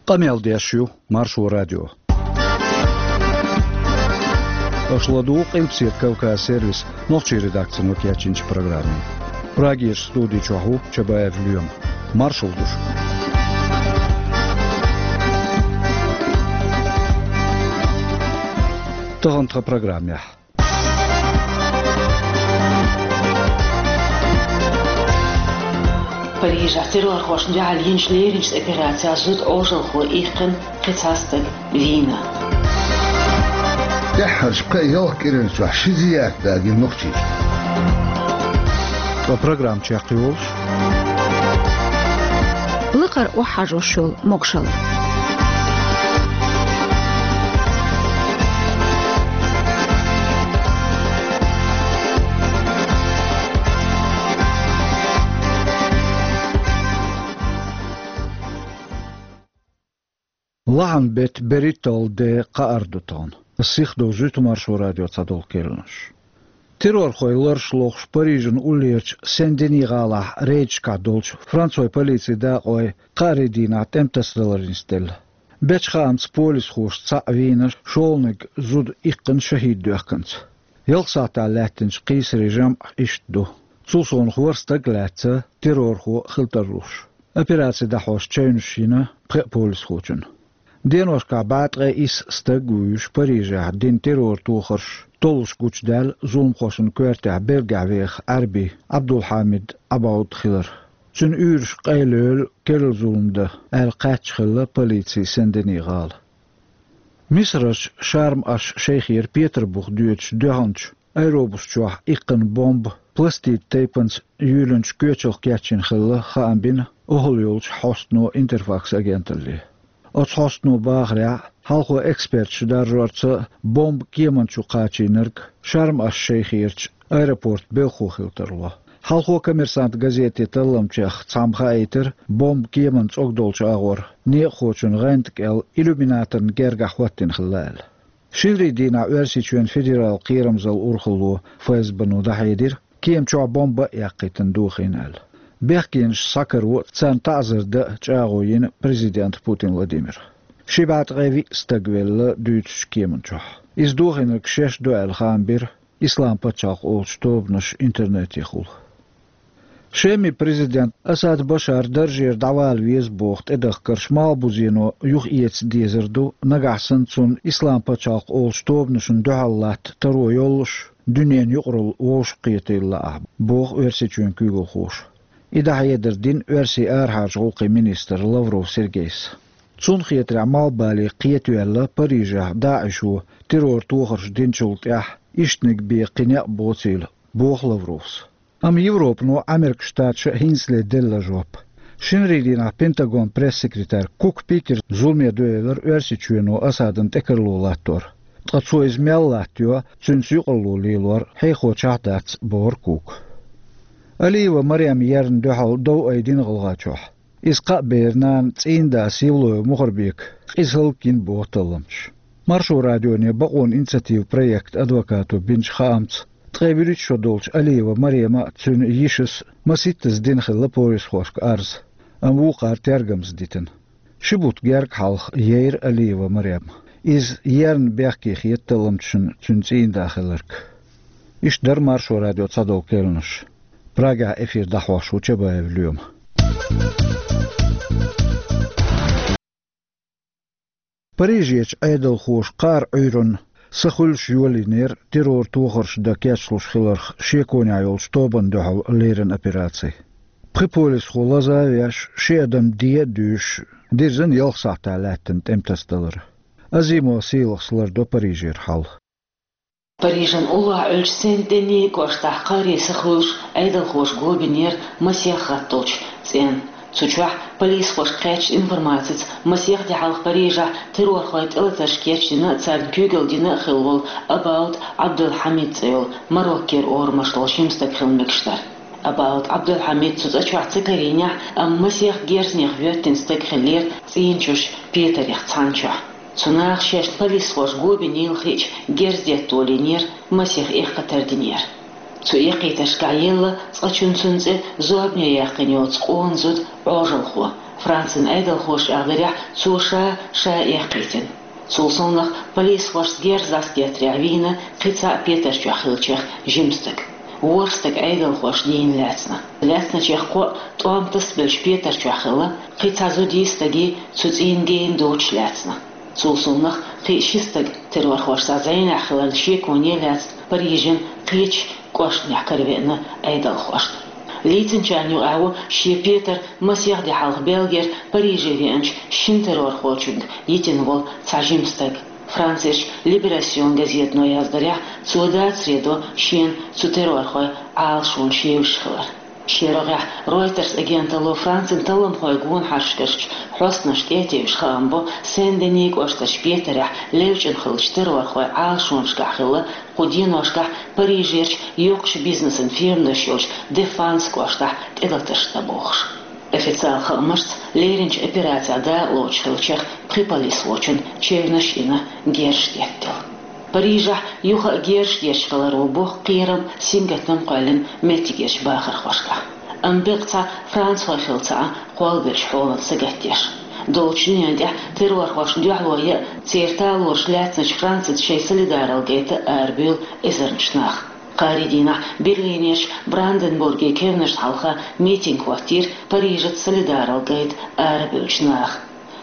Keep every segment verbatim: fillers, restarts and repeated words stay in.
Къамел деш ю Маршо радио. Аша ладугӀу Къилбаседа Кавказ сервисан нохчийн редакцино кечйинчу программе. Прагерчу студи чохь ву Чабаев Лоьма. Маршалла ду шуьга. Тахана тхан программехь. Парижехь террорхошна дуьхьал йинчу леринчу операцехь зуда Ӏожалхо иккхина, кхин цхьа стаг вийна. ТӀаьххьарчу пхеа-ялх кӀиран чохь ши зиярт дагийна нохчаша. Ткъа программа чекхйолуш. Лакхара охьахьажош йолу могушалла. Лахьан-беттан берхӀитталгӀа де кхаара ду тахана. Ас сихдовзуьйту Маршо радион цхьадолу керланаш. Террорхойн лараш лохуш Парижан уллерчу Сен-Дени гӀалахь рейдашкахь долчу францойн полицин дакъойн кхаарин дийнахь тӀематасадалар нисделла. Бечу хаамца полисхоша цхьаъ вийна, шолгӀаниг зуда иккхина, шахӀид доьхкинца. Ялх сахьтехь лаьттинчу кхийсарийн жамӀ иштта ду. Цул совнаха ворхӀ стаг лаьцна террорхо хила тарлуш. Операци дӀахьош чевнаш йина пхеа полисхочун. Деношкахь бӀе ткъе исс стаг а вуьйш, Парижехь дина террор-тохарш толлуш гучудаьлла зуламхошна коьртехь Бельгехь веха Ӏаьрби Ӏабдулхьамид Ӏабауд хилар. Цуьнан уьйраш къайлойла керла зулам дан аьлла кхаьчна хилла полици Сен-Дени гӀала. Мисарерчу Шарм-аш-Шейхера Петарбух доьдучу дуьхьанчу аэробус чохь иккхина бомба пластитан тайпанца юьйлинчу коьчалх кечйина хилла хаам бина охӀла йолчу хьостано Интерфакс агенталле. Оцу хьостано бахарехь, хьалхо эксперташа даржорца бомба кеман чу кхачийнарг Шарм-аш-Шейхерчу аэропортан белхахо хила тарло. Хьалхо «Коммерсант» газетан талламчех цхьамма хаийтира, бомба кеман цӀогдолчу агӀор некъахочун гӀанта кӀел иллюминаторна гергахь хӀоттийна хилла аьлла. Шинарин дийнахь Оьрсийчоьнан федералан кхерамзаллин урхалло ФСБ-но дӀахьедира, кема чохь бомба а яккхийтина дохийна аьлла. Бехкенаш схьакаро, царна таӀзар дан а чӀагӀо йина президента Путин Владимира. Ши бӀе ткъе виъ стаг велла дуьйцучу кеман чохь. Иза дохийнарг шаьш ду аьлла хаам бира Исламан пачхьалкх олучу тобанаша интернетехула. Шеман президент Асад Башар даржера дӀавала веза боху тӀедахкарш малхбузено юхаэца дезар ду, нагахь санна цунна Исламан пачхьалкх олучу тобанашна дуьхьал латта таро йоллуш, дуьненан юкъаралла вовшахкхетийла лаахь, боху Оьрсийчоьнан куьйгалхоша. И дӀахьедар дина Оьрсийн арахьарчу гӀуллакхийн министра Лавров Сергейс. Цунна хетарехь, малхбале кхетаваьлла Парижехь ДАИШо террор-тохарш динчул тӀаьхьа ишттаниг бен кхин некъ боцийла, боху Лавровс. Амма Европано Ӏамеркан Штаташа а хӀинцале делла жоп. Шинарин дийнахь Пентагонан пресс-секретарь Кук Питера зуламе доьллира Оьрсийчоьно Асадна тӀекарло латтор. Ткъа цо иза мел латтайо, цуьнца юкъаралла лелор хьехочохь дац, бохура Кука. Алиева Марема ерна дуьхьал дов айдина ГӀалгӀайчохь. Иза кхаа беран нана, цӀийнан да Сивлоева Мухарбека къиза хӀаллакйина боху талламчаша. Маршо радионе бакъонан инициативан проектан адвокато бинчу хаамца, ткъе вуьрхӀитта шо долчу Алиева Марема а, цуьнан йишас а маситтаза дина хилла полисхошка арз, амма вукхара тергамза дитина. Ши бутт герга хьалха яйра Алиева Марем. Иза ерна бехке хета талламчашна цуьнан цӀийнан да хиларг. Иштта дара Маршо радион цхьадолу керланаш. Прагехь эфир дӀахьош ву Чабаев Лоьма. Парижерчу Ӏедалхоша кхааран Ӏуьйранна са хуьлуш йолийнера террор-тохарш дан кечлуш хиларх шеконехь йолчу тобанна дуьхьал леррина операци. Пхи полисхо лаза а веш, ши адам де а дуьйшуш, дирзина ялх сахьтехь лаьттина тӀематасадалар. Азимова Сийлахьас лардо Парижера хьал. Парижан уллохь Ӏуьллучу Сен-Дени кӀоштахь кхааран са хуьлуш Ӏедалхоша го бинера масех гӀаттолчу цӀенна. Цу чохь полисхошка кхаьчначу информацица масех де хьалха Парижехь террорхойн тӀелатарш кечдина а, царна куьйгалла дина а хилла волу Абауд Ӏабдулхьамид цӀе йолу Мароккера орамаш долу жима стаг хила мегаш дара. Абауд Ӏабдулхьамид цу цӀа чохь ца карийнехь, амма масех герзнех воьттина стаг хиллера цӀийнан чуьра Петарех цхьана чохь. Цу наха шаьш полисхоша го бинийла хиъча, герз детта волийнера, масех эккхийтар динера. Цу эккхийтаршкахь елла цкъачунна цунна цӀе зорбане яьккхина йоцу къона зуда Ӏожалхо. Францин Ӏедалхоша чӀагӀдарехь, цо ша ша эккхийтина. Цул совнах полисхошца герз дӀасадеттарехь вийна кхин цхьаъ Петар чохь хиллачех жима стаг. ВорхӀ стаг Ӏедалхоша дийна лаьцна. Лаьцначех кхоъ тӀом тасабелча Петар чохь хилла, кхин цхьа зудий, стагий цу цӀийнан гена доцуш лаьцна. Цул совнах кхин ши стаг террорхошца зӀенехь хиларна шеконе лаьцна Парижан кхечу кӀоштанехь каравеана Ӏедалхошна. Лийцинчарна юкъахь ву шен Петар масех де хьалха Бельгера Париже веанчу шина террорхочуьнга йитина волу цхьа жима стаг. Францерчу Либерасьон газетано яздарехь, цо дацаре до шена цу террорхойн Ӏалашонаш евзаш хилар. Шен рогӀехь Reuters агенталло Францин талламхойн гонахаршкарчу хьостанашна тӀе а тевжаш хаам бо, Сен-Дени кӀоштарчу Петарехь левчӀина хиллачу террорхойн Ӏалашонашкахь хилла кху деношкахь Парижерчу йоккхачу бизнесан фирманаш йолчу Дефанс кӀоштахь тӀелатарш дан бохуш. Официалан хаамашца, леринчу операцехь дакъалоцуш хиллачех пхи полисхочун чевнаш йина, герзаш деттина. Парижехь юха а герзаш детташ хиларо бу кхерам, сингаттам кхоьллина меттигерчу бахархошкахь. Амма беккъа цхьа францхой хилла ца Ӏа кхоллабеллачу хьолан сагатдеш. Долчу дуьнен тӀехь террорхошна дуьхьало ян а, церан талораш лаьцначу Францица шайн солидаралла гайта а арабевлла эзарнаш нах. Кхаарин дийнахь Берлинерчу Бранденбургерчу кевнашна хьалха митинг хӀоттийра Парижаца солидаралла гайта арабевллачу наха.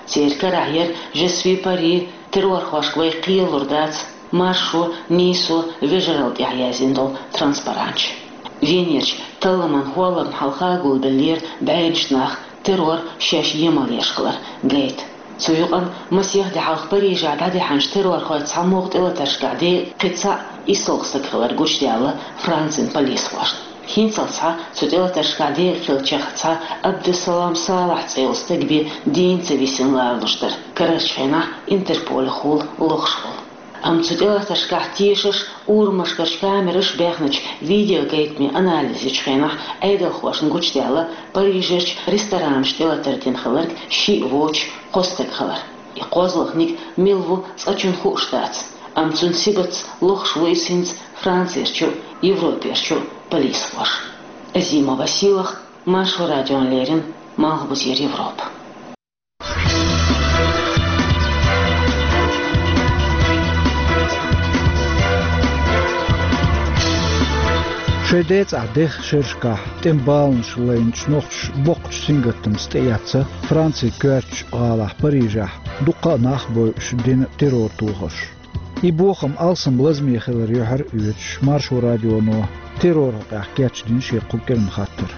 Церан карахь яра «Je suis Paris», «Террорхошка вай кхелалур дац», «Маршо, нийсо, вежаралла» тӀехь яздина долу транспаранташ. Венерчу талламан хӀолламна хьалха гулбеллера бӀеннаш нах, террор шаьш емал еш хилар гайта. Цу юкъана масех де хьалха Парижехь дӀадаьхьначу террорхойн цхьамогӀа тӀелатаршкахь декъа кхин цхьаъ исалгӀа стаг хилар гучудаьлла Францин полисхошна. ХӀинцалц схьа цу тӀелатаршкахь декъа хиллачех цхьа Абдессалам Салахь цӀе йолу стаг бен дийна ца висина ларалуш дара, карарчу хенахь Интерполехула лохуш волу. Амма цу тӀелатаршкахь тешарш, урамашкарчу камераш баьхначу видеогайтамийн анализ йечу хенахь Ӏедалхошна гучудаьлла Парижерчу ресторанашна тӀелатар дина хилларг шиъ воцуш кхо стаг хилар. И кхозлагӀниг мила ву цкъачунна хууш дац, амма цуьнан сибатца лохуш ву иза хӀинца Францерчу а, Европерчу а полисхоша. Азимова Сийлаха, Маршо радиона леррина, Малхбузера Европа. Шайн децӀахь деха шерашкахь тӀеман баланаш лайначу нохчаша боккхачу сингаттамца тӀеэцна Францин коьртачу гӀалахь Парижехь дуккха а нах а бойуш дина террор тохарш. И бохам алсам лазаме хилар юьхьар а оьцуш, Маршо радионо терроран хьокъехь кечдина шен кху кӀиран хаттар.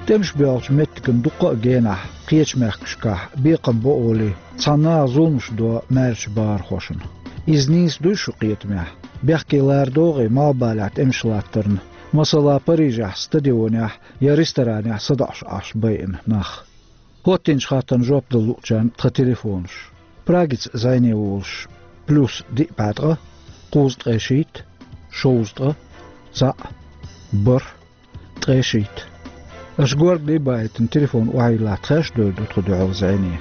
ТӀемаш боьлхучу меттиган дуккха а генахь кхечу мехкашкахь бекхам бо олий, цхьана наха зуламаш до маьршачу бахархошна. Иза нийса дуй шун кхетамехь? Бехке лара догӀий Малхбалехь тӀемаш латтарна, масала, Парижехь стадионехь я ресторанехь садоӀуш Ӏаш байина нах? ХӀоттийначу хаттарна жоп дала луучарна тхан телефонаш. Прагица зӀене волуш: плюс диъ бӀе ткъа, кхузткъе шийтта, шовзткъа, цхьаъ, бархӀ, ткъе шийтта. Аша горгали а бахийтина телефон охьайиллахь, тхаьш а довр ду тхо дуьхьал зӀене.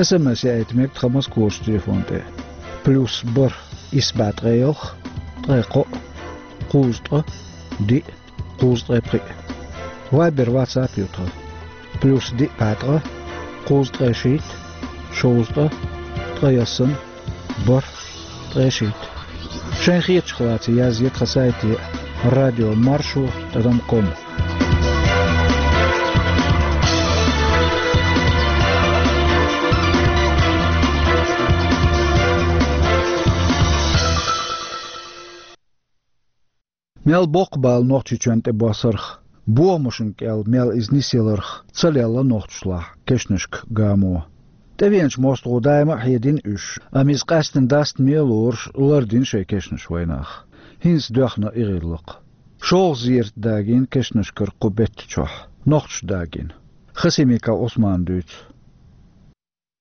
СМС яийта мега тхан Москварчу телефон тӀе: плюс бархӀ, исс бӀе ткъе ялх, ткъе кхоъ, кхузткъа, диъ, кхузткъе пхиъ. Вайбер, ватсап ю тхан: плюс диъ бӀе ткъа, кхузткъе шийтта, шовзткъа, ткъе ялсамани, бархӀ, ткъе шийтта. Шайн хетачух лаций язъе тхан сайте: радио маршо тӀадам ком. Мел боккха бала Нохчийчоьнна тӀебоссарх, бохамашна кӀел мел иза нисъяларх ца лелла нохчашлахь кешнашка гамо. ТӀевеанчу мостагӀо даима а хьедина уьш, амма иза къаьстина дастаме а лоруш лардина шайн кешнаш вайнах. ХӀинца доьхна и гӀиллакх. ШолгӀа зерат дагийна кешнашкара кху бетта чохь, нохчаша дагийна. Хасимиков Ӏусмана дуьйцу.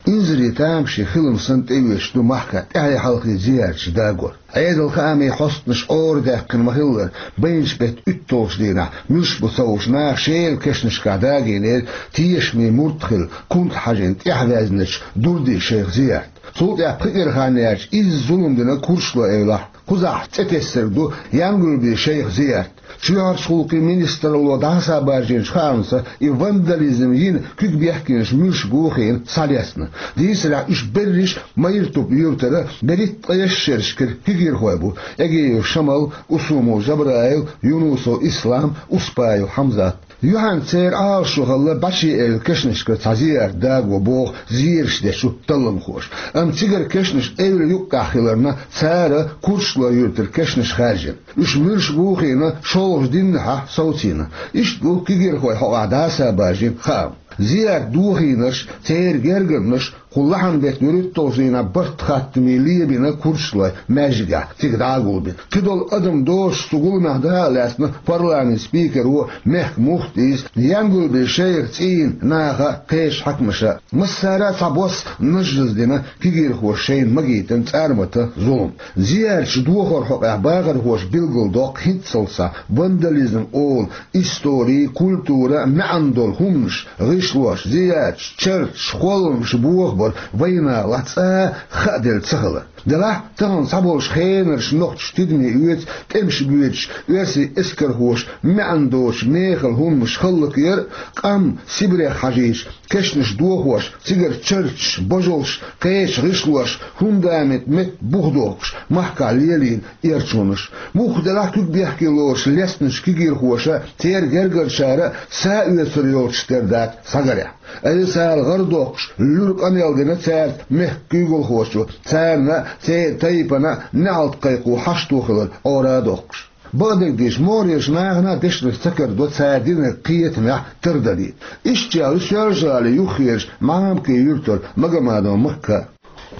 Инзаре тамашийна хилам санна тӀеоьцуш ду махкахь тӀаьхье-хьалхе зиярташ дагор. Ӏедалан хаамийн хьостанаша ора даьккхина ма-хиллара, байначу беттан уьтталгӀачу дийнахь муьлш бу ца хууш наха шеран кешнашкахь дагийнера, тешаме мурд хилла, кунта хьажийна тӀаьхьаваьзначу Дурдий-шайх зиярт. Цул тӀаьхьа пхи кӀира хан яьлча изза зулам дина курдаш лой эвлахь, кхузахь цӀе тесарг ду Янгулбий шайх Зиярт. Чоьхьарчу гӀуллакхийн министралло дӀасабаржийначу хаамца, и вандализм йина куьг бехкенаш муьлш бохийна схьалецна. Дийцарехь, уьш берриш Майртуп юьртара берхӀитта ткъаесна шерашкара кегийрхой бу: Эгиев Шамал, Усумов Жабраил, Юнусов Ислам, Успаев Хьамзат. Юьхьанца церан Ӏалашо хилла бӀе ши элла кешнашкара цхьа Зиярт даго боху зераш дечу талламхоша. Амма цигара кешнаш эвла юккъехь хиларна, цара курдаш лой юьртара кешнаш хаьржина. Уьш муьлш бохийна шолгӀачу дийнахь совцийна. Иштта бу кегийрхой хьокъехь дӀасабаржийна хаам. Зиярт дохийнарш, церан гергарнаш кху лахьанан беттан вуьрхӀитталгӀачу дийнахь барт хаттаме лебина курдаш лой маьждигехь, цига дӀа а гулбина. Кхидолу адам доцуш цу гуламехь дакъа лаьцна парламентан спикеро, мехкан муфтийс, Янгулбий шайх цӀийнан наха, кхечу хьаькамаша. Массара а цхьабосса нажжаза дина кегийрхоша шайна магийтина цӀармата зулам. Зиярташ дохоран хьокъехь бахархоша билгалдоккху хӀинццалц схьа вандализм олу истори, культура, маьӀна долу хӀуманаш, гӀишлош, зиярташ, чарташ, холламаш бохабар вайнахалахь цкъа а хааделла ца хилар. Делахь, тахана цхьаболчу хенарчу нохчаша тидаме оьцу тӀемаш боьдуш оьрсийн эскархоша маьӀна доцуш мехала хӀуманаш хӀаллакъяр а, къам Сибрех хьажийча, кешнаш дохош, цигара чарташ, божалш, кхечу гӀишлош, фундамент метта бухдохуш, махкахь лелийна эрчонаш. Мухха делахь а куьг бехке лоруш лецначу кегийрхоша, церан гергарчара а са оьцур йолуш тера дац схьагарехь. Айса ала гӀар доккхуш, луьра къамел дина цаьрца мехкан куьйгалхочо, царна а, церан тайпана а неӀалт кхайкхо хьашто хилар Ӏора а доккхуш. Бакъдерг дийцича, могӀарерчу нахана а дешнаш ца карадо цара динарг кхетамехь тардалийта. Иштта чӀагӀлуьйту Соьлжа-ГӀалин юххерчу Махьамковн юьртара Магомадова Макка.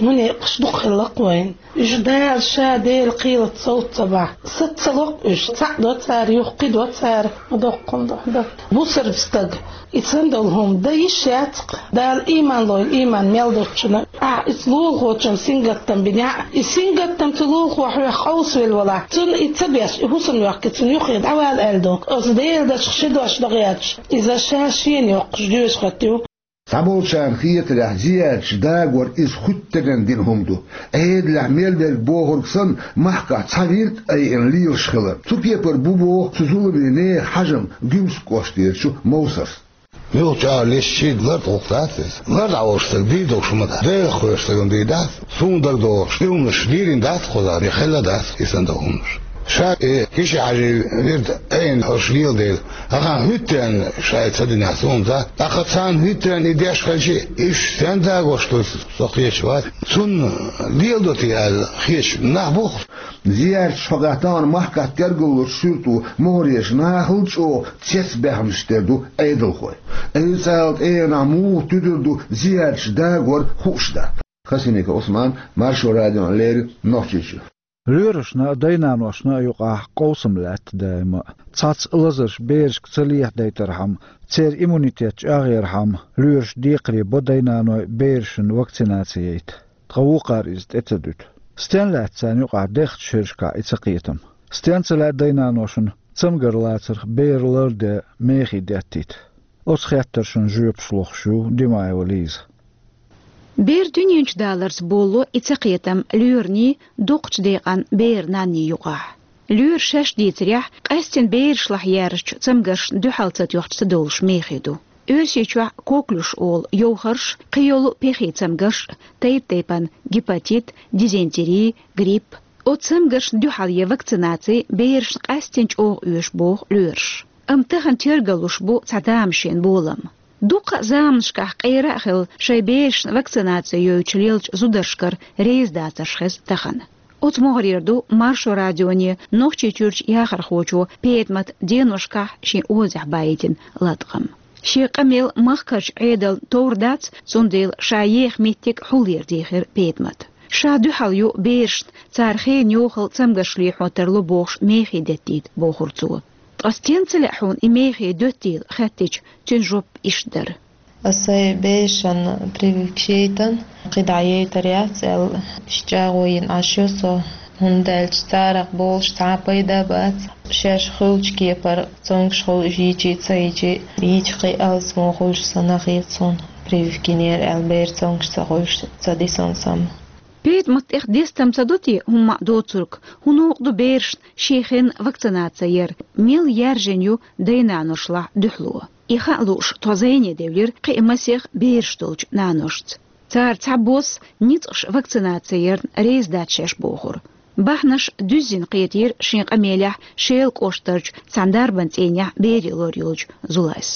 Муьлххачу дукха хилла-кх вайн. Уьш Дала ша Делан кхелаца совца ца бахь, саца ца локху уьш. Цхьаъ до цара, юха кхин до цара, ма доккхун до. Бусалба стаг, и цхьана долу хӀума дан йиш яц-кх. Дала ийман лойла, ийман мел доцучунна. Ахьа иза лулахочун сингаттам бинехь а, и сингаттам цу лулахо хьоьх къовсавелла валахь, цунна и ца беш, и хӀусамна йохкий цунна юххе дӀавала аьлла ду. Оцу Делан дашах ши дош дан гӀерташ, иза ша шена йоккхуш доьшуш хӀоттаю. Цхьаболчарна хетарехь, зиярташ дагор иза хуьттаренна дина хӀума ду. Ӏедалехь мел дерг бохург санна, махкахь цхьа вирд а айина лелаш хилар. Цу кепара бу боху цу зуламе нехан хьажам Гуьмсан кӀоштарчу Мовсарс. Юха чӀагӀлуьйту, шийтта лар тӀе гӀуллакх дац иза. Лар дӀаволуш стаг дийр долуш ма дац. Делах кхоьруш стагана дийр дац. Суна дагадогӀуш, и хӀуманаш дийрина дац кхузахь, я хилла дац и санна долу хӀуманаш. Ша и Киши-Хьаьжин вирд айина хӀорш лела дела, ахьа хӀуьттаренна ша и ца динехь суна дац. ТӀаккха царна хӀуьттаренна и деш хилча, уьш стенна дагош ду, со кхеташ вац. Цунна леладо те аьлла хеташ нах бу-кх. Зиярташ хьокъехь тахана махкахь тергаллучу суьрто могӀарерчу нахал а чӀогӀа цецбаьхнаш тера ду Ӏедалхой. Айса ала тӀегӀанехь муха туьдур ду зиярташ дагор хууш дац. Хасимиков Ӏусман, Маршо радиона леррина, Нохчийчуьра. Лоьрашна а, дайнаношна а юкъахь къовсам лаьтта даима а. Цхьацца лазарш берашка ца лехьадайтархьама, церан иммунитет чӀагӀъярхьама, лоьраша декхаре бо дайнаной берашна вакцинаци яйта. Ткъа вукхара иза тӀе ца дуьту. Стен лаьтта царна юкъахь дехачу шерашкахь и цакхетам? Стен ца лаьа дайнаношна цамгар лацарх бер ларде мехий деттийта? Оцу хеттаршна жоьпаш лохуш ю Димаева Лиза. Бер дуьнен чу даларца болло и цакхетам лоьрний, дукхачу декъан беран нанний юкъахь. Лоьраша шаьш дийцарехь, къаьстина берашлахь яьржачу цамгаршна дуьхьал ца тоьхча ца довлуш мехий ду. Оьрсийчохь коклюш олу йовхарш, кхийолу пехий цамгарш, тайп-тайпана гепатит, дизентери, грипп. Оцу цамгаршна дуьхьал ян вакцинаци берашна къаьстина чӀогӀа оьшу боху лоьраша. Амма тахана тергаллуш бу цхьа тамашийна болам. Дуккха а заманашкахь къера а хилла шайн берашна вакцинаци йойтуш лелачу зударшкара реза дацарш хеза тахана. Оцу могӀарера ду Маршо радионе Нохчийчуьрчу яхархочо Петамата деношкахь шен озехь баийтина латкъам. Шен къамел махкарчу Ӏедална товр дац, цундела ша еха меттиг хьулъера дийхира Петамата. Ша дуьхьал ю берашна, цара хенан йохалла цамгарш лехьо тарло бохуш мехий деттийта, бохура цо. Ткъа стен ца лаьа хьуна и мехий доьттийла хаьттича, цуьнан жоп иштта дара. Аса сайн берашна прививка яйтина, кхидӀа яйтар яц аьлла, иштта чӀагӀо йина Ӏаш ю со, хӀунда аьлча царах болуш цхьа а пайда бац. Шаьш хуьлучу кепара цомгуш хуьлу уьш йичи а, ца йичи а, йича кхин а алсамо хуьлуш санна хета суна. Прививка йинера аьлла, бер цомгаш ца ховш, ца дисонсам. Петмат тӀех дестам ца ду те, хӀумма а доцург, хӀун новкъа ду берашна ший хенна вакцинаци яр, мел яьржина ю дай-наношлахь дуьхьало. И хаа лууш, тхо зӀене девлира кхин а масех бераш долчу наношца. Цара цхьабосса ницкъаш вакцинаци ярна реза дац шаьш бохура. Бахьанаш дуьззина кхетийра шен къамелехь Шелан кӀоштарчу цхьана дарбан цӀийнехь бере лор йолчу Зулайс.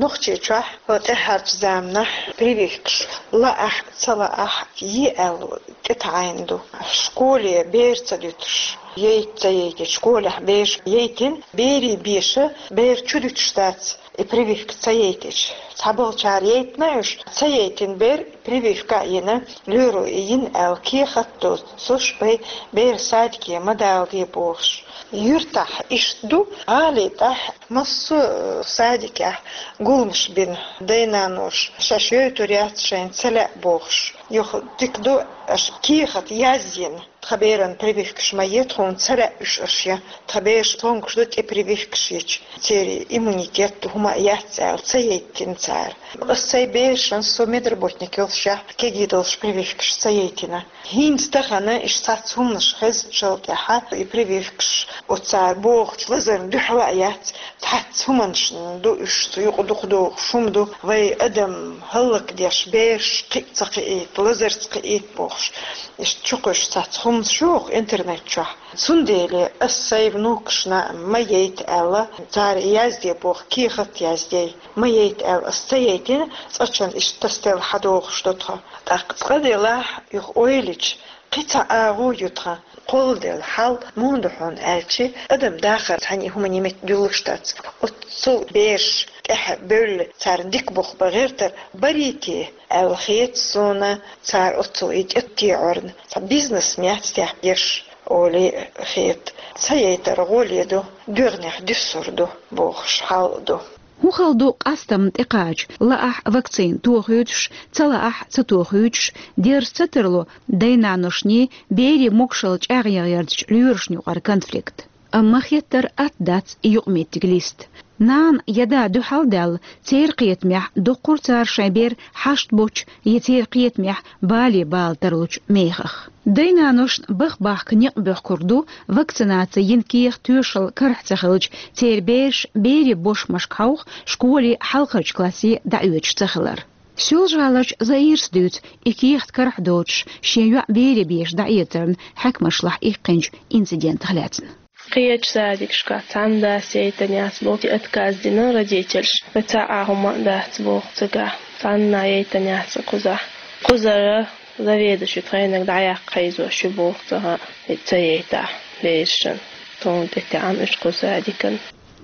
Нохчийчохь хӀокху тӀаьхьарчу заманахь прививкаш лаахь а, ца лаахь а, е аьлла тӀетаӀийна ду. Школе бер ца дуьтуш, яйта ца яйтича, школехь бераш яйтина, берийн беша бер чу дуьтуш дац, и прививка ца яйтича. Цхьаболчара яйтина уьш, ца яйтина бер, прививка а йина, лоьро и йина аьлла кехат а доцуш, бай бер садике ма даладе бохуш. Юьртахь иштта ду, гӀали тӀехь массо а садикехь гуламаш бина, дай-наноша шаьш йойтур яц, шайна ца лаьа бохуш. Юха дика ду, аша кехат язйина, тхан беран прививкаш ма е, тхуна ца лаьа уьш аша ян, тхан бераш цомгаш ду тӀе прививкаш йича. Церан иммунитет хӀума а яц аьлла, ца яйтина цара. Аса сайн берашна, со медработник йолушехь, кегий долуш прививкаш ца яйтина. ХӀинца тахана иштта цхьацца хӀуманаш хезначул тӀаьхьа и прививкаш оцара бохучу лазарна дуьхьал а яц, цхьацца хӀуманашна ду уьш, цу юкъа дукха догӀуш хӀума ду, вай адам хӀаллакдеш, бераш кхин а ца кхиийта, лазарца кхиийта бохуш. Иштта чукхуьйсуш цхьацца хӀуманаш ю хӀокху интернет чохь. Цундела аса сайн внукашна ма яйта аьлла, цара язде боху, кехат язде. Ма яйта аьлла, аса ца яйтина, цкъачунна иштта тасаделла хьадогӀуш ду тхо. ТӀаккха цкъа делахь, юха ойла йича, кхин цхьа агӀо ю тхан, кхолладелла хьал муха ду хьуна аьлча, адам дахар цхьаьна и хӀуманийн метта дуьллуш дац. Оццул бераш тӀаьхьа бевлла, царна дика бух бан гӀертар барий те аьлла хета суна, цара оццул и тӀетеӀорна цхьа бизнес ма яц техь еш, олий хета. Ца яйтар гӀоле ду, доьгӀнех дуьссур ду бохуш хьал а ду. ХӀун хала ду къастамна тӀекхача, лаахь вакцина тохуьйтуш, ца лаахь ца тохуьйтуш, дерза ца тарло дай-наношний, берийн могушалла чӀагӀъяртачу лоьрашна юкъара конфликт. Амма хеттар атта дац и юкъаметтиг листа. Нана я да дуьхьал а даьлла, церан кхетамехь доккхур цара шайн бер хьашт боцчу я церан кхетамехь бале бала тарлучу мехах. Дай-наношна баха бахка некъ боьхкург ду вакцинаци йина кехат тоьшалла карахь ца хилча, церан бераш берийн бошмашка хьовха, школе хьалхарчу классе дӀаоьцуш ца хилар. Соьлжа-ГӀаларчу Заирас дуьйцу и кехат карахь доцуш, шен йоӀ бере беша дӀаэцарна хьаькамашлахь иккхинчу инцидентах лаьцна. Кхечу садикашкахь цхьана дас яйтина яц боху, отказ дина родительша. Вай цхьа а хӀума а дац боху цигахь. Цхьанна а яйтина яц кхузахь. Кхузара заведующий тхайнарг дӀаяккха хьийзош ю боху цигахь, и ца яйтахь берашна. Тхуна тӀетаьӀна уьш кху садикан.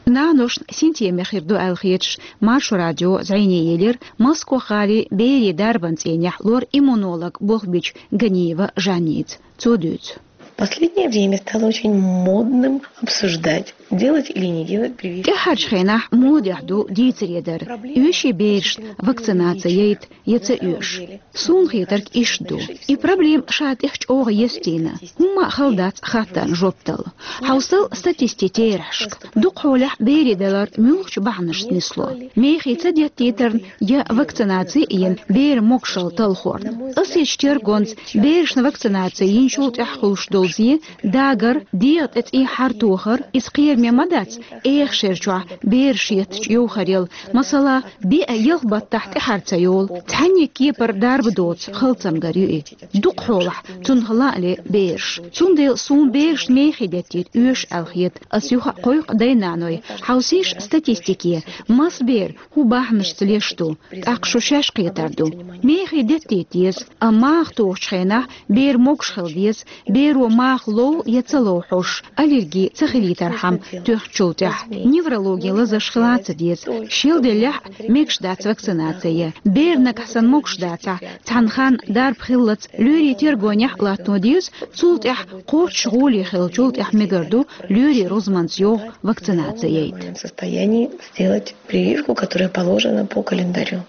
Наношна синтеме хир ду аьлла хеташ, Маршо радио зӀене елира Москох-гӀалин берийн дарбан цӀийнехь лор-иммунолог болх бичу Ганиева Жанница. Цо дуьйцу. Последнее время стало очень модным обсуждать, делать или не делать прививки. ТӀаьххьарчу хенахь модехь ду дийцаре дар, оьший берашна вакцинаци яйта я ца оьшу. Суна хетарг иштта ду. И проблема ша тӀех чӀогӀа естийна. ХӀумма а хала дац хаттарна жоп дала. Хьовсал статистикин терахьашка. Дукха хьолехь берийн далар муьлхачу бахьанашца нисло. Мехий ца деттийтарна я вакцинаци а йина, беран могушалла талхорна. Аса йича тергонца берашна вакцинаци йинчул тӀаьхьа хуьлуш долу зе, дагар, дегӀан тӀе цӀий хьартохар, иза кхераме ма дац, эха шер чохь бераш еттачу йовхарел, масала, биъ-ялх баттахь тӀаьхьар ца йолу, цхьанне кепара дарба доцу хала цамгар ю и. Дукха хьолахь цунах лаа ле бераш. Цундела суна берашна мехий деттийта оьшу аьлла хета, ас юха а кхойкху дай-наной, хьовсийша статистике, маса бер хӀун бахьанашца леш ду, тӀаккха шу шаьш кхетар ду. Мехий деттийта деза, амма маха тухучу хенахь бер могуш хила деза, беро маха лов я ца лов хьожуш, аллерги ца хилийтархьама тоьхначул тӀаьхьа. Неврологин лазарш хила а ца деза, шелделлехь а мегаш дац вакцинаци ян. Бер нагахь санна могуш дацахь, цхьана ханна дарба хиллалц лоьрийн тергонехь а латтано деза, цул тӀаьхьа кхоччуш гӀоле хиллачул тӀаьхьа мегар ду лоьрийн рузманца йогӀу вакцинаци яйта. В состоянии сделать прививку, которая положена по календарю.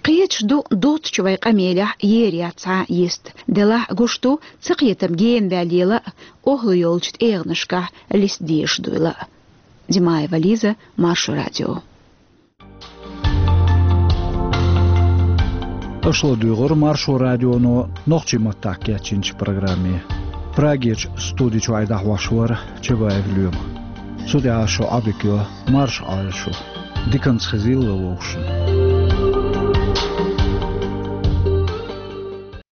Кхеташ ду, доцучу вай къамелехь ер яц цхьа а йист. Делахь а гуш ду, ца кхетам гена ваьллийла а, охӀла йолчу тӀегӀанашкахь листа дезаш дуйла а. Димаева Лиза, Маршо радио. Аша ладугӀура Маршо радионо нохчийн маттахь кечйинчу программе. Прагерчу студи чуьра дӀахьош вара Чабаев Лоьма. Цу тӀехь шун Ӏодика йо марша Ӏойла шу. Диканца хезийла вовшашна.